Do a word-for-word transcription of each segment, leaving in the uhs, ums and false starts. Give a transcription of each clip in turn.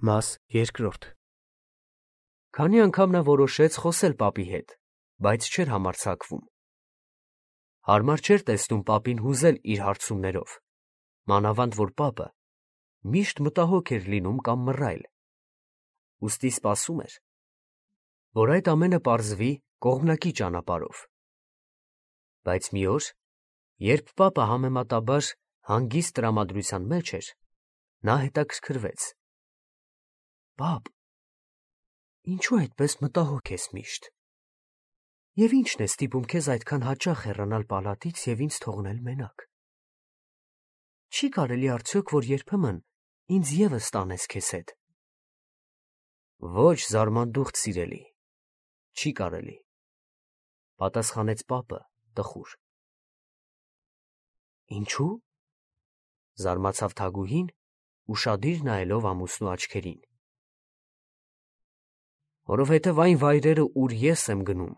Մաս երկրորդ Քանի անգամ նա որոշեց խոսել պապի հետ, բայց չէր համարձակվում։ Հարմար չէր տեսնում պապին հուզել իր հարցումներով, մանավանդ որ պապը միշտ մտահոգ էր լինում կամ մռայլ։ Ուստի սպասում էր, որ այդ ամենը պարզվի կողմնակի ճանապարհով։ Բայց մի օր, երբ պապը համեմատաբար հանգիստ տրամադրության մեջ էր, նա հետաքրքրվեց. Պապ, ինչու այդպես մտահոգ ես միշտ, և ի՞նչն է ստիպում քեզ այդքան հաճախ հեռանալ պալատից և ինձ թողնել մենակ. Չի կարելի արդյոք, որ երբեմն ինձ ևս տանես քեզ հետ։ Ոչ, զարմանդուխտ սիրելի, չի կարելի, պատասխանեց պապը տխուր։ Ինչու՞, զարմացավ Թագուհին, ուշադիր նայելով ամուսնու աչքերին։ Որովհետև այն վայրերը, ուր ես եմ գնում,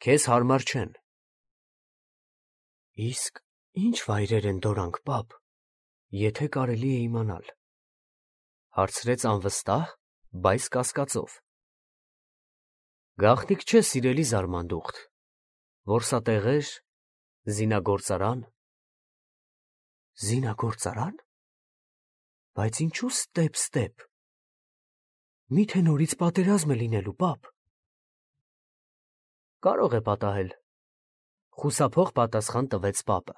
քեզ հարմար չեն։ Իսկ ի՞նչ վայրեր են դորանք, պապ, եթե կարելի է իմանալ, հարցրեց անվստահ, բայց կասկածով։ Գաղտնիք չէ, սիրելի զարմանդուխտ, որսատեղեր, զինագործարան։ Զինագործարան, բայց ինչու ստեպ-ստեպ, միթե նորից պատերազմ է լինելու, պապ։ Կարող է պատահել, խուսափող պատասխան տվեց պապը։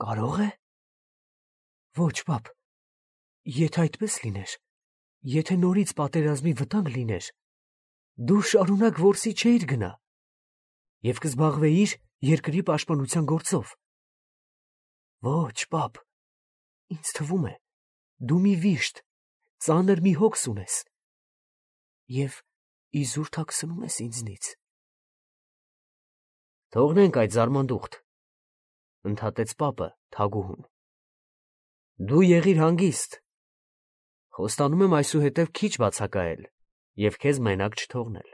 Կարո՞ղ է։ Ոչ, պապ, եթե այդպես լիներ, եթե նորից պատերազմի վտանգ լիներ, դու շարունակ որսի չէիր գնա և կզբաղվեիր երկրի պաշտպանության գործով։ Ոչ, պապ, ինձ թվում է, դու մի վիշտ, ծանր մի հոգս ունես և իզուր թաքցնում ես ինձնից։ Թողնենք այդ, զարմանդուխտ, ընդհատեց պապը Թագուհուն։ Դու եղիր հանգիստ, խոստանում եմ այսուհետև քիչ բացակայել և քեզ մենակ չթողնել։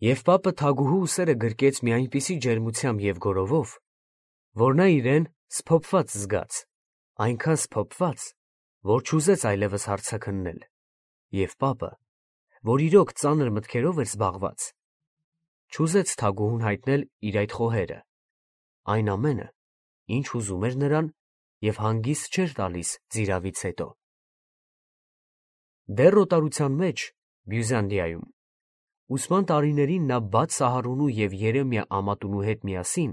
Եվ պապը Թագուհու ուսերը գրկեց մի այնպիսի ջերմությամբ և գորովով, որ նա իրեն սփոփված զգաց, այնքան սփոփված, որ չուզեց այլևս հարցաքննել, և պապը, որ իրոք ծանր մտքերով էր զբաղված, չուզեց Թագուհուն հայտնել իր այդ խոհերը, այն ամենը, ինչ ուզում էր նրան և հանգիստ չէր տալիս ծիravից հետո։ Դեռ օտարության մեջ, Բյուզանդիայում, ուսման տարիներին նա բաց Սահարունու և Երեմիա ամատունու հետ միասին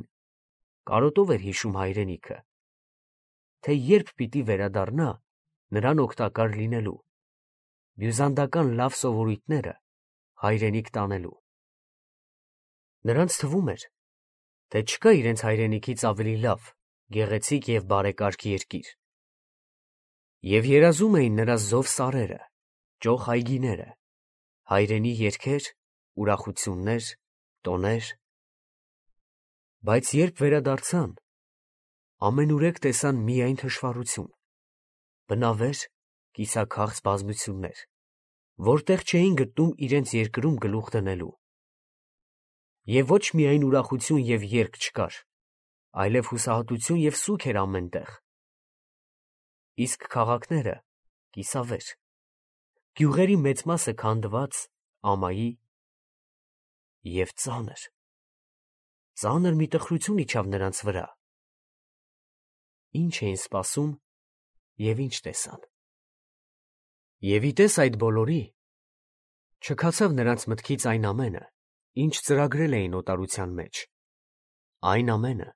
կարոտով էր հիշում հայրենիքը, թե երբ պիտի վերադառնա նրան օգտակար լինելու, բյուզանդական լավ սովորույթները հայրենիք տանելու։ Նրանց թվում էր, թե չկա իրենց հայրենիքից ավելի լավ, գեղեցիկ և բարեկարգ երկիր։ Եվ երազում էին նրա զով սարերը, ճոխ այգիները, հայրենի երգեր, ուրախություններ, տոներ։ Բայց երբ վերադարձան, ամենուրեք տեսան միայն թշվառություն, բնավեր, կիսաքաղց բազմություններ, որտեղ չէին գտնում իրենց երկրում գլուխ դնելու։ Եվ ոչ միայն ուրախություն և երգ չկար, այլև հուսահատություն և սուգ էր ամեն տեղ։ Իսկ քաղաքները կիսավեր, գյուղերի մեծ մասը քանդված, ամայի և ծանր, ծանր մի տխրություն իջավ նրանց վրա։ Ինչ էին սպասում և ինչ տեսան։ Եվ ի տես այդ բոլորի, չքացավ նրանց մտքից այն ամենը, ինչ ծրագրել էին օտարության մեջ, այն ամենը,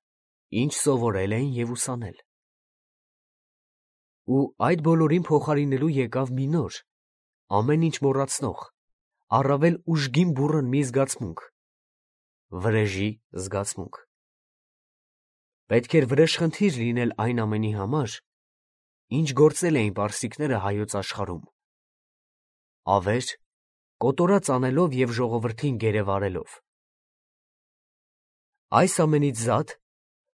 ինչ սովորել էին և ուսանել։ Ու այդ բոլորին փոխարինելու եկավ մի նոր, ամեն ինչ մոռացնող, առավել ուժգին բուռն մի զգացմունք՝ վրեժի զգացմունք։ Պետք էր վրեժխնդիր լինել այն ամենի համար, ինչ գործել էին պարսիկները հայոց աշխարհում, ավեր, կոտորած անելով և ժողովրդին գերեվարելով։ Այս ամենից զատ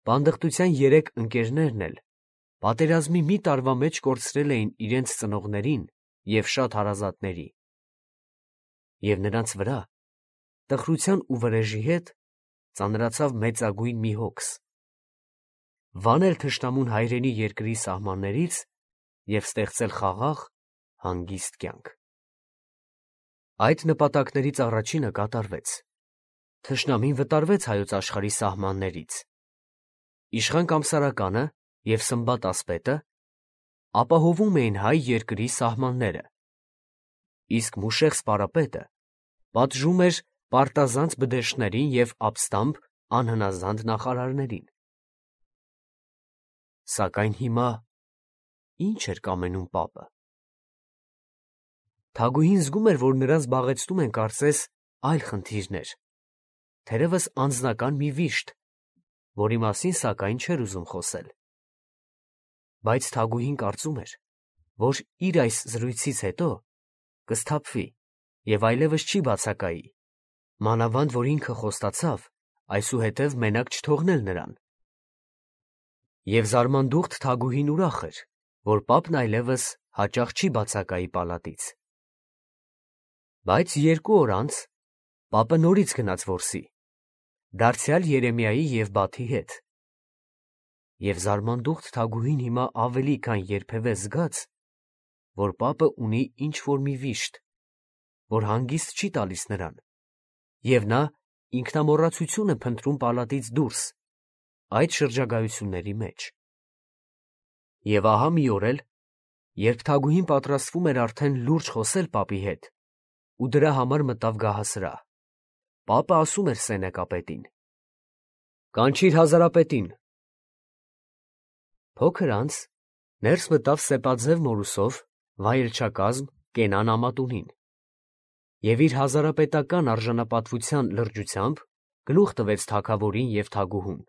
պանդխտության երեք ընկերներն էլ պատերազմի մի տարվա մեջ կորցրել էին իրենց ծնողներին և շատ հարազատների, և նրանց վրա, տխրության ու վրեժի հետ, ծանրացավ մեծագույն մի հոգս՝ վանել թշնամուն հայրենի երկրի սահմաններից և ստեղծել խաղաղ, հանգիստ կյանք։ Այդ նպատակներից առաջինը կատարվեց։ Թշնամին վտարվեց հայոց աշխարհի սահմաններից։ Իշխան Կամսարականը և Սմբատ Ասպետը ապահովում էին հայ երկրի սահմանները, իսկ Մուշեղ Սպարապետը պատժում էր պարտազանց բդեշտներին և ապստամբ անհնազանդ նախարարներին։ Սակայն հիմա ի՞նչ էր կամենում պապը։ Թագուհին զգում էր, որ նրան զբաղեցնում են կարծես այլ խնդիրներ, թերևս անձնական մի վիշտ, որի մասին սակայն չէր ուզում խոսել։ Բայց թագուհին կարծում էր, որ իր այս զրույցից հետո կսթափվի և այլևս չի բացակայի, մանավանդ որ ինքը խոստացավ այսուհետև մենակ չթողնել նրան։ Եվ զարմանդուխտ թագուհին ուրախ էր, որ պապն այլևս հաճախ չի բացակայի պալատից։ Բայց երկու օր անց պապը նորից գնաց որսի, դարձյալ Երեմիայի և Բաթի հետ։ Եվ զարմանդուխտ թագուհին հիմա ավելի քան երբևէ զգաց, որ պապը ունի ինչ-որ մի վիշտ, որ հանգիստ չի տալիս նրան, և նա ինքնամոռացություն է փնտրում պալատից դուրս, այդ շրջագայությունների մեջ։ Եվ ահա մի օր էլ, երբ թագուհին պատրաստվում էր արդեն լուրջ խոսել պապի հետ ու դրա համար մտավ գահասրահ, պապը ասում էր սենեկապետին. «Կանչիր հազարապետին»։ Փոքր անց ներս մտավ սեպաձև մորուսով վայելչակազմ Կենան Ամատունին և իր հազարապետական արժանապատվության լրջությամբ գլուխ տվեց թագավորին և թագուհուն։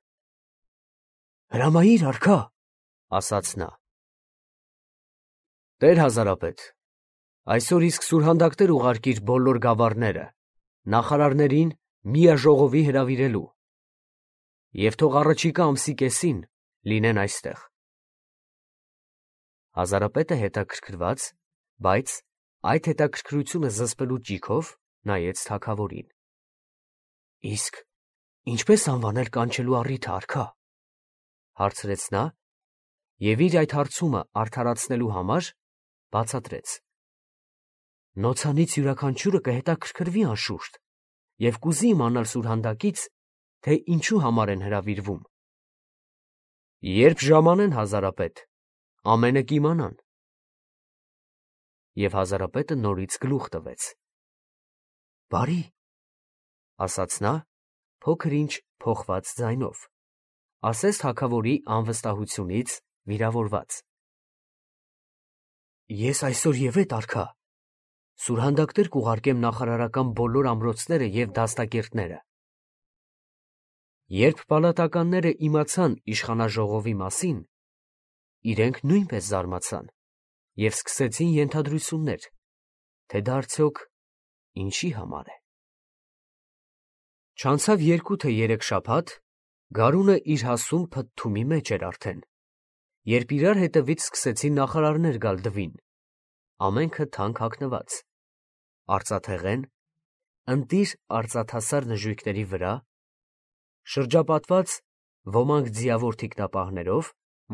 «Հրամայիր, արքա», ասաց նա։ «Տեր հազարապետ, այսօր իսկ սուրհանդակներ ուղարկիր բոլոր գավառները, նախարարներին միաժողովի հրավիրելու, և թող առաջիկա ամսի կեսին լինեն այստեղ»։ Հազարապետը հետաքրքրված, բայց այդ հետաքրքրությունը զսպելու ճիգով նայեց թագավորին։ «Իսկ ինչպե՞ս անվանել կանչելու առիթը, արքա», հարցրեց նա և իր այդ հարցումը արդարացնելու համար բացատրեց. «Նոցանից յուրաքանչյուրը կհետաքրքրվի անշուշտ և կուզի իմանալ սուրհանդակից, թե ինչու համար են հրավիրվում»։ «Երբ ժամանեն, հազարապետ, ամենը կիմանան»։ Եվ հազարապետը նորից գլուխ տվեց։ «Բարի», ասաց նա փոքր-ինչ փոխված ձայնով, ասես թագավորի անվստահությունից վիրավորված։ «Ես այսօր ևեթ, արքա, սուրհանդակներ կուղարկեմ նախարարական բոլոր ամրոցները և դաստակերտները»։ Երբ պալատականները իմացան իշխանաժողովի մասին, իրենք նույնպես զարմացան և սկսեցին ենթադրություններ, թե դա արդյոք ինչի համար է։ Չանցավ երկու թե երեք շաբաթ, գարունը իր հասուն փթթումի մեջ էր արդեն, երբ իրար հետևից սկսեցին նախարարներ գալ դվին, ամենքը թանկ հագնված, արծաթեղեն, ընտիր արծաթասար նժույգների վրա, շրջապատված ոմանք ձիավոր թիկնապահներով,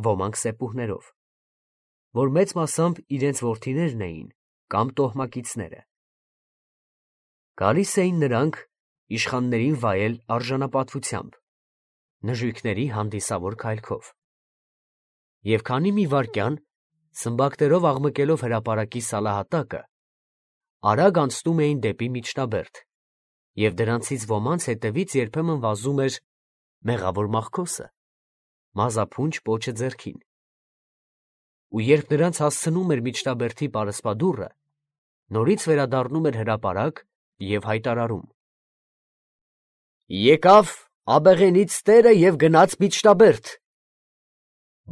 ոմանք սեպուհներով, որ մեծ մասամբ իրենց որդիներն էին կամ տոհմակիցները։ Գալիս էին նրանք իշխաններին վայել արժանապատվությամբ, նժույգների հանդիսավոր քայլքով։ Եվ քանի մի վայրկյան, սմբակներով աղմկելով հրապարակի սալահատակը, արագ անցնում էին դեպի միջնաբերդ, և դրանցից ոմանց հետևից երբեմն վազում էր մեղավոր մախքոսը, մազափունչ պոչը ձեռքին։ Ու երբ նրանց հասցնում էր միջնաբերդի պարսպադուռը, նորից վերադառնում էր հրապարակ և հայտարարում. «Եկավ աբեղենից տերը և գնաց միջնաբերդ.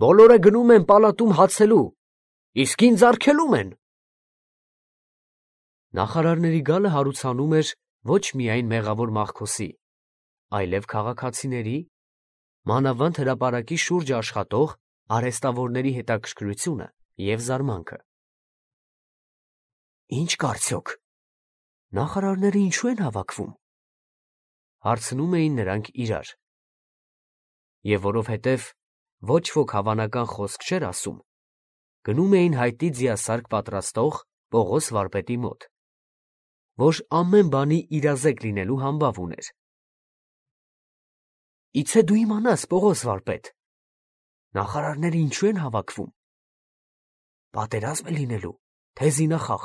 բոլորը գնում են պալատում հացելու, իսկ ինձ արգելում են»։ Նախարարների գալը հարուցանում էր ոչ միայն մեղավոր մախքոսի, այլև քաղաքացիների, մանավանդ հրապարակի շուրջը աշխատող արհեստավորների հետաքրքրությունը և զարմանքը։ «Ի՞նչ կա արդյոք, նախարարները ինչո՞ւ են հավաքվում», հարցնում էին նրանք իրար։ Եվ որովհետև ոչ ոք հավանական խոսք չէր ասում, գնում էին հայտի ձիասարք պատրաստող Պողոս վարպետի մոտ, որ ամեն բանի իրազեկ լինելու համբավ ուներ։ Իցե դու իմանաս, Պողոս վարպետ, նախարարները ինչու են հավաքվում։ Պատերազմ է լինելու, թե զինախախ։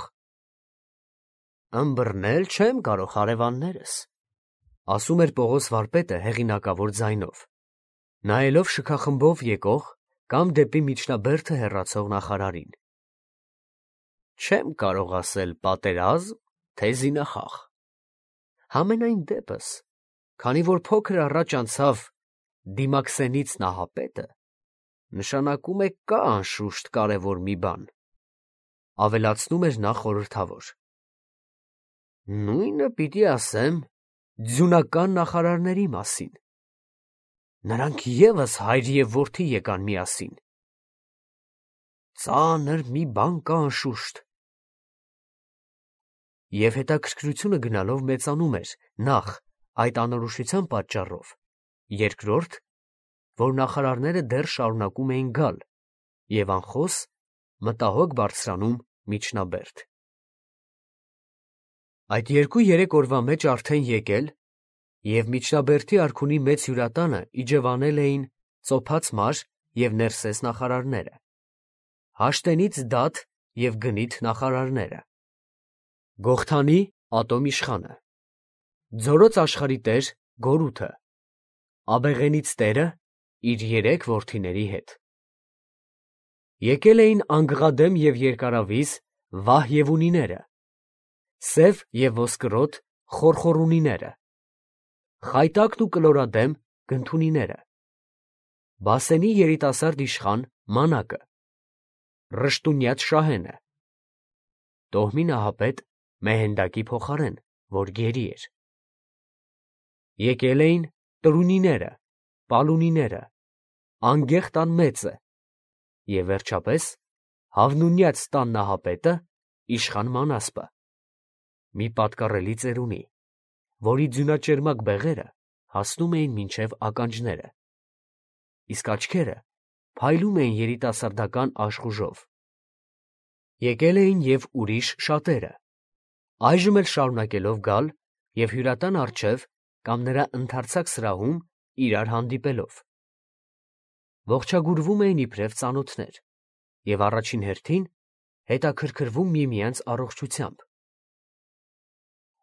Ըմբռնել չեմ կարող հարևաններս, ասում էր Պողոս վարպետը հեղինակավոր ձայնով, նայելով շքախմբով եկող կամ դեպի միջնաբերդը հեռացող նախարարին։ Չեմ կարող ասել պատերազմ, թե զինախախ։ Համենայն դեպս, քանի որ փոքր առաջ անցավ Դիմաքսենից նահապետը, նշանակում է կա անշուշտ կարևոր մի բան, ավելացնում էր նա խորհրդավոր։ Նույնը պիտի ասեմ ձյունական նախարարների մասին։ Նրանք ևս հայր և որդի եկան միասին։ Ծանր մի բան կա անշուշտ։ Եվ հետաքրքրությունը գնալով մեծանում էր նախ այդ անորոշության պատճառով, երկրորդ, որ նախարարները դեռ շարունակում էին գալ և անխոս մտահոգ բարձրանում միջնաբերդ։ Այդ երկու-երեք օրվա մեջ արդեն եկել և միջնաբերդի արքունի մեծ հյուրատանը իջևանել էին ծոփած մար և Ներսես նախարարները, Հաշտենից Դաթ և Գնիթ նախարարները, Գողթանի Ատոմ իշխանը, Ձորոց աշխարհի տեր Գորութը, Աբեղենից տերը իր երեք որդիների հետ։ Եկել էին անգղադեմ և երկարավիզ Վահ-ԵՒունիները, սև և ոսկրոտ Խորխորունիները, խայտակն ու կլորադեմ Գնթունիները, Բասենի երիտասարդ իշխան Մանակը, Ռշտունյաց Շահենը, Տոհմի նահապետ Մեհենդակի փոխարեն, որ գերի էր։ Եկել էին Տրունիները, Պալունիները, Անգեղ տան մեծը և վերջապես Հավնունյաց տան նահապետը իշխան Մանասպը, մի պատկառելի ծերունի, որի ձյունաճերմակ բեղերը հասնում էին մինչև ականջները, իսկ աչքերը փայլում էին երիտասարդական աշխուժով։ Եկել էին և ուրիշ շատերը, այժմ էլ շարունակելով գալ և հյուրատան առջև կամ նրա ընդարձակ սրահում իրար հանդիպելով։ Ողջագուրվում էին իբրև ծանոթներ և առաջին հերթին հետաքրքրվում միմյանց առողջությամբ։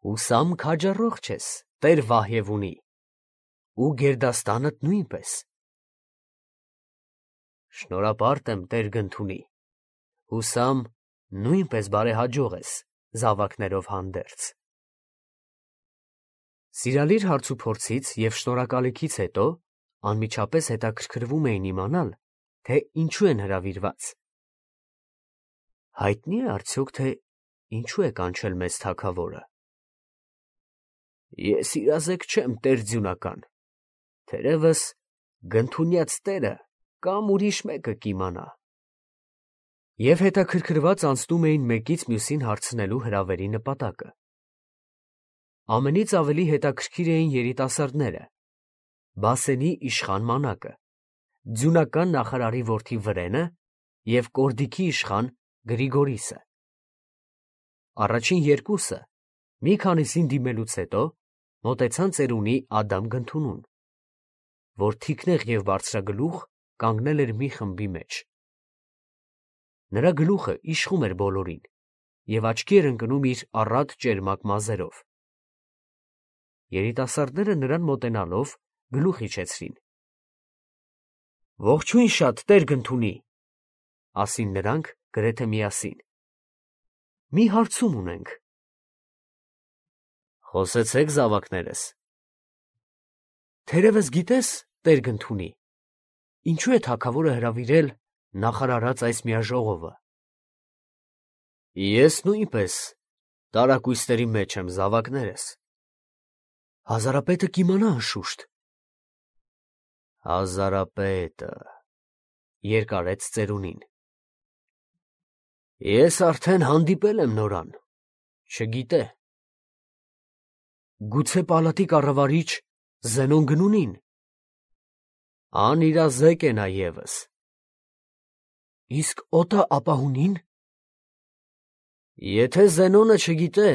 Հուսամ քաջառողջ ես, տեր Վահ-ԵՒունի, ու գերդաստանդ նույնպես։ Շնորհապարտ եմ, տեր Գնթունի, հուսամ նույնպես բարեհաջող ես զավակներով հանդերձ։ Սիրալիր հարցուփորձից և շնորհակալիքից հետո անմիջապես հետաքրքրվում էին իմանալ, թե ինչու են հրավիրված։ Հայտնի է արդյոք, թե ինչու է կանչել մեզ թագավորը։ Ես իրազեկ չեմ, տեր ձյունական, թերևս Գնթունյաց տերը կամ ուրիշ մեկը կիմանա։ Եվ հետաքրքրված անցնում էին մեկից մյուսին հարցնելու հրավերի նպատակը։ Ամենից ավելի հետաքրքիր էին երիտասարդները, Բասենի իշխան Մանակը, ձյունական նախարարի որդի Վրենը և Կորդիքի իշխան Գրիգորիսը։ Առաջին երկուսը մի քանիսին դիմելուց հետո մոտեցան ծերունի Ադամ Գնթունուն, որ թիկնեղ և բարձրագլուխ կանգնել էր մի խմբի մեջ։ Նրա գլուխը իշխում էր բոլորին և աչքի էր ընկնում իր առատ ճերմակ մազերով։ Երիտասարդները նրան մոտենալով գլուխ իջեցրին։ Ողջույն շատ, տեր Գնթունի, ասին նրանք գրեթե միասին։ Մի հարցում ունենք։ Խոսեցեք, զավակներս։ Թերևս գիտես, տեր Գնթունի, ինչու է թագավորը հրավիրել նախարարած այս միաժողովը։ Ես նույնպես տարակույսների մեջ եմ, զավակներս։ Հազարապետը կիմանա անշուշտ։ Հազարապետը, երկարեց ծերունին։ Ես արդեն հանդիպել եմ նորան, չգիտե։ Գուցե պալատի կառավարիչ Զենոն Գնունին։ Անիրազեկ է նա ևս։ Իսկ օտա ապահունին։ Եթե Զենոնը չգիտե,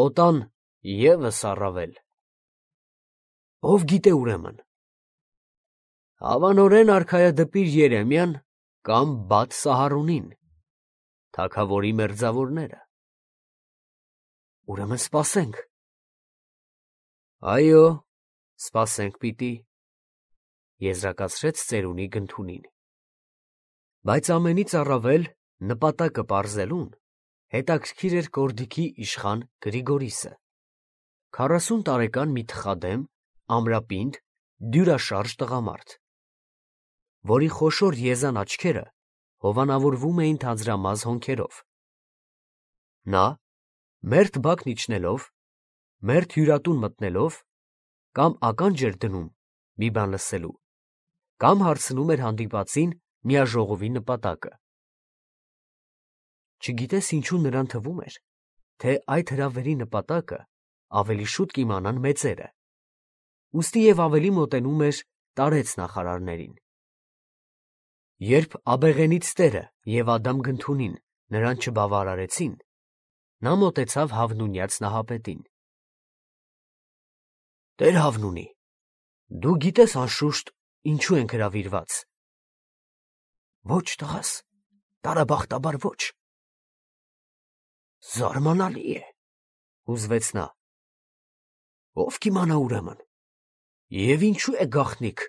օտան ևս առավել։ Ով գիտե ուրեմն։ Հավանորեն արքայադպիր Երեմիան կամ Բաթ Սահարոնին, թագավորի մերձավորները։ Ուրեմն սպասենք։ Այո, սպասենք պիտի, եզրակացրեց ծերունի Գնթունին։ Բայց ամենից առավել նպատակը պարզելուն հետաքրքիր էր Կորդիքի իշխան Գրիգորիսը, քառասուն տարեկան մի թխադեմ, ամրապինդ, դյուրաշարժ տղամարդ, որի խոշոր եզան աչքերը հովանավորվում էին թանձրամազ հոնքերով։ Նա, մերթ բակն իջնելով, մերթ հյուրատուն մտնելով, կամ ականջ էր դնում մի բան լսելու, կամ հարցնում էր հանդիպածին միաժողովի նպատակը։ Չգիտես ինչու նրան թվում էր, թե այդ հրավերի նպատակը ավելի շուտ կիմանան մեծերը, ուստի և ավելի մոտենում էր տարեց նախարարներին։ Երբ աբեղենից տերը և Ադամ Գնթունին նրան չբավարարեցին, նա մոտեցավ Հավնունյաց նահապետին։ Տեր Հավնունի, դու գիտես անշուշտ ինչու ենք հրավիրված։ Ոչ, տղաս, տարաբախտաբար ոչ։ Զարմանալի է, հուզվեց նա։ Ով կիմանա ուրեմն, և ինչու է գաղտնիք,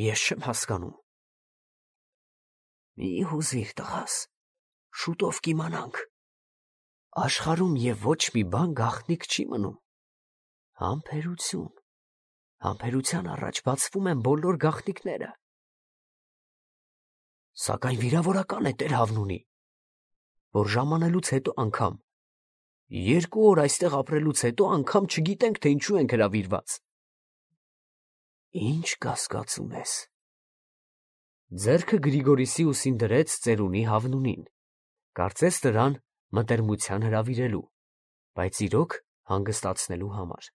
ես չեմ հասկանում։ Մի հուզիր, տղաս, շուտով կիմանանք։ Աշխարհում և ոչ մի բան գաղտնիք չի մնում։ Համբերություն, համբերության առաջ բացվում են բոլոր գաղտնիքները։ Սակայն վիրավորական է Տեր Հավնունի, որ ժամանելուց հետո անգամ, երկու օր այստեղ ապրելուց հետո անգամ չգիտենք, թե ինչու ենք հրավիրված։ Ինչ կասկածում ես։ Ձեռքը Գրիգորիսի ուսին դրեց ծերունի Հավնունին, կարծես նրան մտերմության հրավիրելու, բայց իրոք հանգստացնելու համար։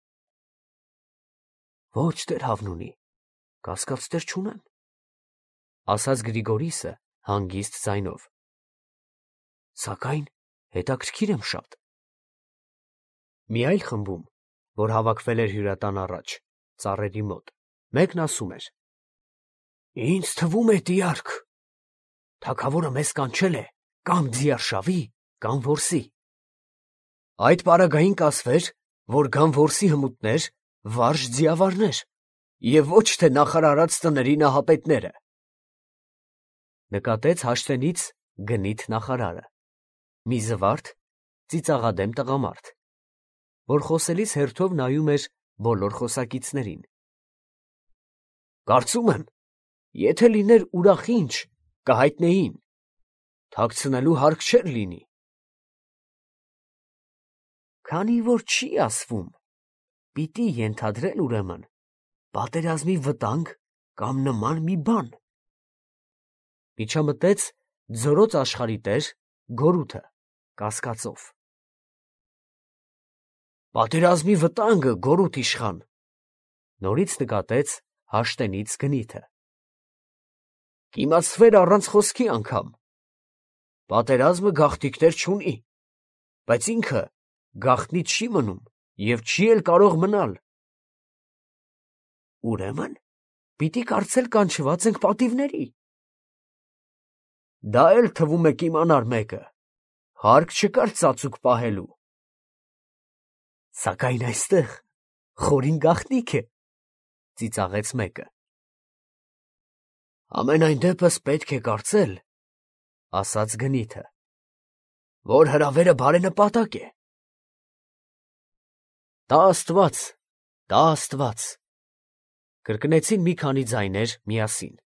Ոչ, Տեր Հավնունի, կասկածներ չունեմ, ասաց Գրիգորիսը հանգիստ ձայնով։ Սակայն հետաքրքիր եմ շատ։ Մի այլ խմբում, որ հավաքվել էր հյուրատան առաջ, ծառերի մոտ, մեկն ասում էր. Ինձ թվում է, տիարք, թագավորը մեզ կանչել է կամ ձիարշավի, կամ որսի։ Այդ պարագային կասվեր, որ գան որսի հմուտներ, վարժ ձիավարներ, և ոչ թե նախարարած տների նահապետները։ Նկատեց հաշտենից գնիթ նախարարը, մի զվարթ, ծիծաղադեմ տղամարդ, որ խոսելիս հերթով նայում էր բոլոր խոսակիցներին։ Կարծում եմ, եթե լիներ ուրախ ինչ, կհայտնեին, թաքցնելու հարկ չէր լինի։ Քանի որ չի ասվում, պիտի ենթադրել ուրեմն պատերազմի վտանգ կամ նման մի բան։ Միջամտեց ձորոց աշխարհի տեր Գորութը կասկածով։ Պատերազմի վտանգը, Գորութ իշխան, նորից նկատեց հաշտենից Գնիթը։ Կիմացվեր առանց խոսքի անգամ։ Պատերազմը գաղտնիքներ չունի, բայց ինքը գաղտնի չի մնում և չի էլ կարող մնալ։ Ուրեմն պիտի կարծել կանչված ենք պատիվների։ Դա էլ թվում է կիմանար մեկը, հարկ չկար ծածուկ պահելու։ Սակայն այստեղ խորին գաղտնիք է, ծիծաղեց մեկը։ Ամենայն դեպս պետք է կարծել, ասաց Գնիթը, որ հրավերը բարենպատակ է։ Տա Աստված, տա Աստված, կրկնեցին մի քանի ձայներ միասին։